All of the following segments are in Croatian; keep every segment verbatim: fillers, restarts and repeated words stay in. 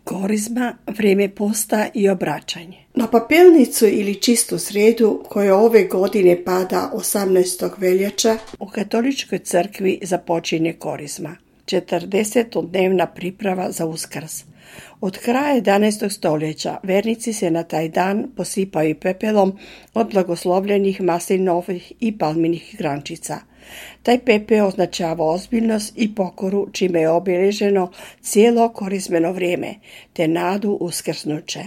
Korizma, vrijeme posta i obraćanje. Na papelnicu ili čistu srijedu koja ove godine pada osamnaestog veljača u katoličkoj crkvi započinje korizma, četrdesetodnevna priprava za Uskrs. Od kraja jedanaestog stoljeća vernici se na taj dan posipaju pepelom od blagoslovljenih maslinovih i palminih grančica. Taj pepeo označava ozbiljnost i pokoru, čime je obilježeno cijelo korizmeno vrijeme, te nadu uskrsnuće.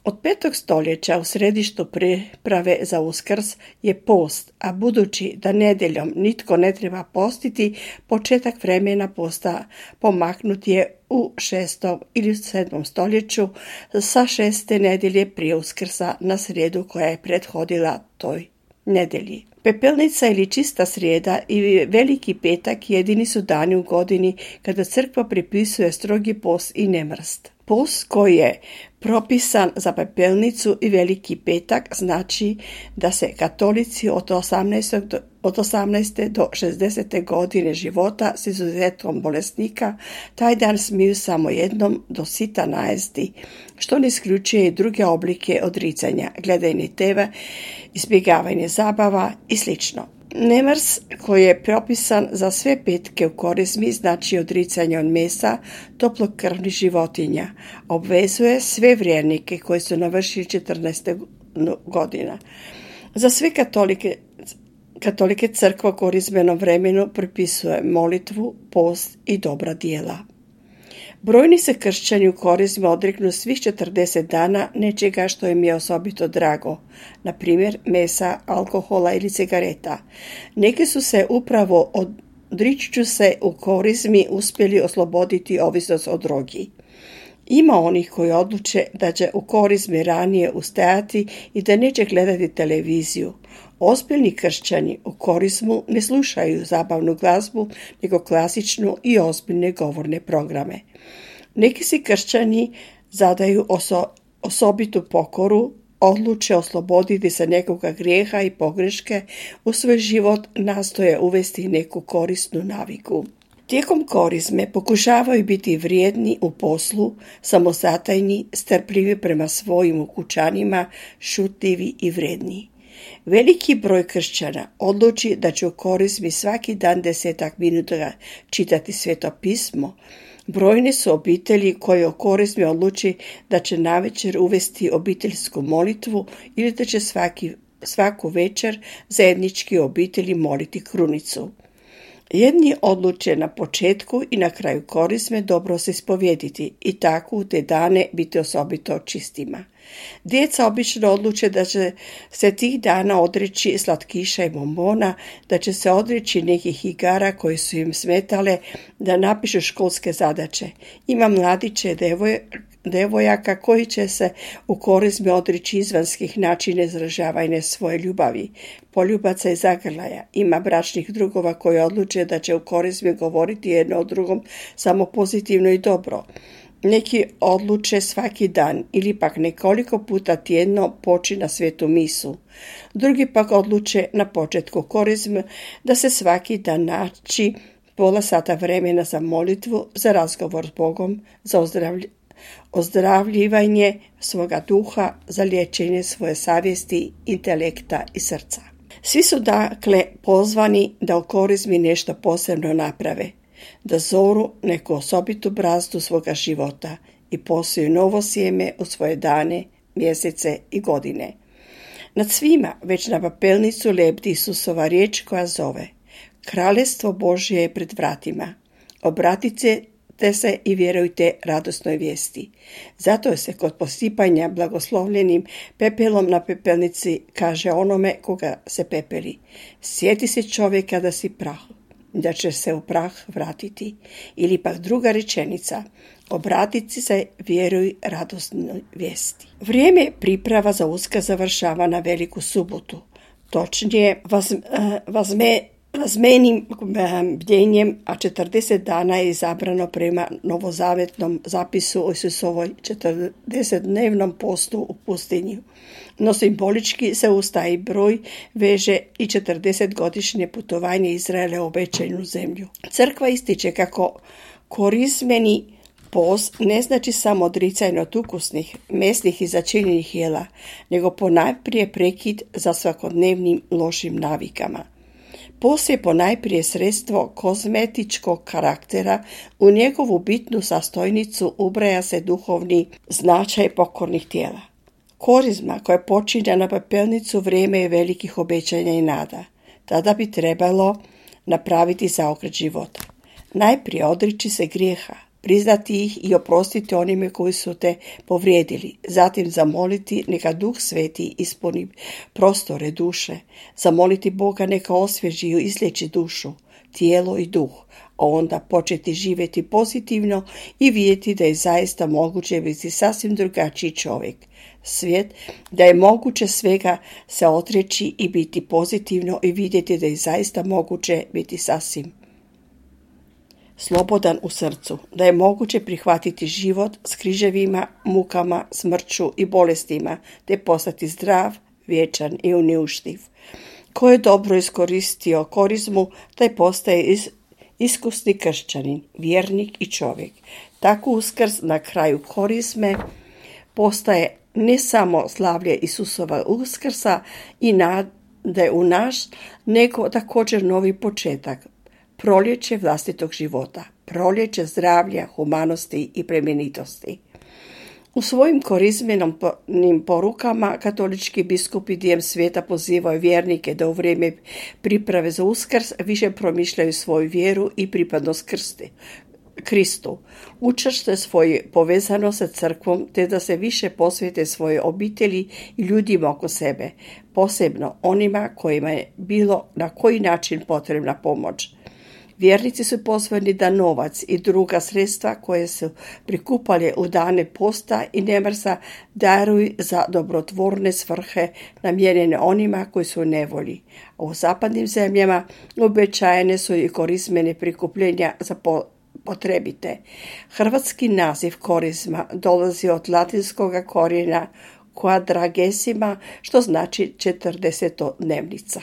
Od petog stoljeća u središtu priprave za Uskrs je post, a budući da nedjeljom nitko ne treba postiti, početak vremena posta pomaknut je u šestom ili sedmom stoljeću sa šeste nedjelje prije Uskrsa na srijedu koja je prethodila toj nedjelji. Pepelnica ili čista srijeda i Veliki petak jedini su dani u godini kada crkva pripisuje strogi post i nemrst. Post koji je propisan za pepelnicu i Veliki petak znači da se katolici od osamnaeste do šezdesete godine života s izuzetkom bolesnika taj dan smiju samo jednom do sita najesti, što ne isključuje i druge oblike odricanja, gledanje te ve, izbjegavanje zabava i sl. Nemrs koji je propisan za sve petke u korizmi znači odricanje od mesa toplokrvnih životinja. Obvezuje sve vjernike koji su navršili četrnaest godina. Za sve katolike, katolike crkva u korizmenom vremenu propisuje molitvu, post i dobra djela. Brojni se kršćani u korizmi odreknu svih četrdeset dana nečega što im je osobito drago, na primjer mesa, alkohola ili cigareta. Neki su se upravo odričući se u korizmi uspjeli osloboditi ovisnost o drogi. Ima onih koji odluče da će u korizmi ranije ustajati i da neće gledati televiziju. Ozbiljni kršćani u korizmu ne slušaju zabavnu glazbu, nego klasičnu i ozbiljne govorne programe. Neki si kršćani zadaju oso, osobitu pokoru, odluče osloboditi se nekoga grijeha i pogreške, u svoj život nastoje uvesti neku korisnu naviku. Tijekom korizme pokušavaju biti vrijedni u poslu, samozatajni, strpljivi prema svojim ukućanima, šutljivi i vrijedni. Veliki broj kršćana odluči da će u korizmi svaki dan desetak minuta čitati Sveto pismo. Brojne su obitelji koje u korizmi odluči da će navečer uvesti obiteljsku molitvu ili da će svaki, svaku večer zajednički obitelji moliti krunicu. Jedni odluče na početku i na kraju korizme dobro se ispovjediti i tako u te dane biti osobito čistima. Djeca obično odluče da će se tih dana odreći slatkiša i bombona, da će se odreći nekih igara koje su im smetale, da napišu školske zadaće. Ima mladiće devoj, devojaka koji će se u korizmi odreći izvanskih načina izražavanja svoje ljubavi, poljubaca i zagrlaja. Ima bračnih drugova koji odluče da će u korizmi govoriti jedno o drugom samo pozitivno i dobro. Neki odluče svaki dan ili pak nekoliko puta tjedno poći na svetu misu. Drugi pak odluče na početku korizme da se svaki dan naći pola sata vremena za molitvu, za razgovor s Bogom, za ozdravlj- ozdravljivanje svoga duha, za liječenje svoje savjesti, intelekta i srca. Svi su dakle pozvani da u korizmi nešto posebno naprave, da zoru neku osobitu brazdu svoga života i posiju novo sjeme u svoje dane, mjesece i godine. Nad svima već na papelnicu lebdi Isusova riječ koja zove: Kraljestvo Božje je pred vratima. Obratite se i vjerujte radosnoj vijesti. Zato se kod posipanja blagoslovljenim pepelom na pepelnici kaže onome koga se pepeli: sjeti se čovjeka da si prah, da će se u prah vratiti. Ili pak druga rečenica: obratiti se, vjeruj radosnoj vijesti. Vrijeme priprava za Uskrs završava na Veliku subotu. Točnije vaz, vazme, vazmenim bdjenjem, a četrdeset dana je izabrano prema novozavetnom zapisu o Isusovoj četrdesetdnevnom postu u pustinji. No simbolički se uz taj broj veže i četrdesetgodišnje putovanje Izraela u obećanu zemlju. Crkva ističe kako korizmeni Post ne znači samo odricanje od ukusnih, mesnih i začinjenih jela, nego ponajprije prekid za svakodnevnim lošim navikama. Post je ponajprije sredstvo kozmetičkog karaktera, u njegovu bitnu sastojnicu ubraja se duhovni značaj pokornih tijela. Korizma koja počinja na pepelnicu vrijeme je velikih obećanja i nada. Tada bi trebalo napraviti zaokret života. Najprije odriči se grijeha, priznati ih i oprostiti onime koji su te povrijedili, zatim zamoliti neka Duh Sveti ispuni prostore duše, zamoliti Boga neka osvježi i izliječi dušu, tijelo i duh, a onda početi živjeti pozitivno i vidjeti da je zaista moguće biti sasvim drugačiji čovjek. Svijet, da je moguće svega se odreći i biti pozitivno i vidjeti da je zaista moguće biti sasvim slobodan u srcu, da je moguće prihvatiti život s križevima, mukama, smrću i bolestima, te postati zdrav, vječan i uniuštiv. Ko je dobro iskoristio korizmu, taj postaje is, iskusni kršćanin, vjernik i čovjek. Tako Uskrs na kraju korizme postaje ne samo slavlje Isusova Uskrsa i nade u naš, nego također novi početak, proljeće vlastitog života, proljeće zdravlja, humanosti i plemenitosti. U svojim korizmenim porukama katolički biskupi diljem svijeta pozivaju vjernike da u vrijeme priprave za Uskrs više promišljaju svoju vjeru i pripadnost krsti. Kristu, učvrste svoju povezanost sa crkvom te da se više posvete svoje obitelji i ljudima oko sebe, posebno onima kojima je bilo na koji način potrebna pomoć. Vjernici su pozvani da novac i druga sredstva koje su prikupali u dane posta i nemrsa daruju za dobrotvorne svrhe namijenjene onima koji su u nevolji. A u zapadnim zemljama uobičajene su i korizmene prikupljenja za po potrebite. Hrvatski naziv korizma dolazi od latinskog korijena quadragesima, što znači četrdesetodnevnica.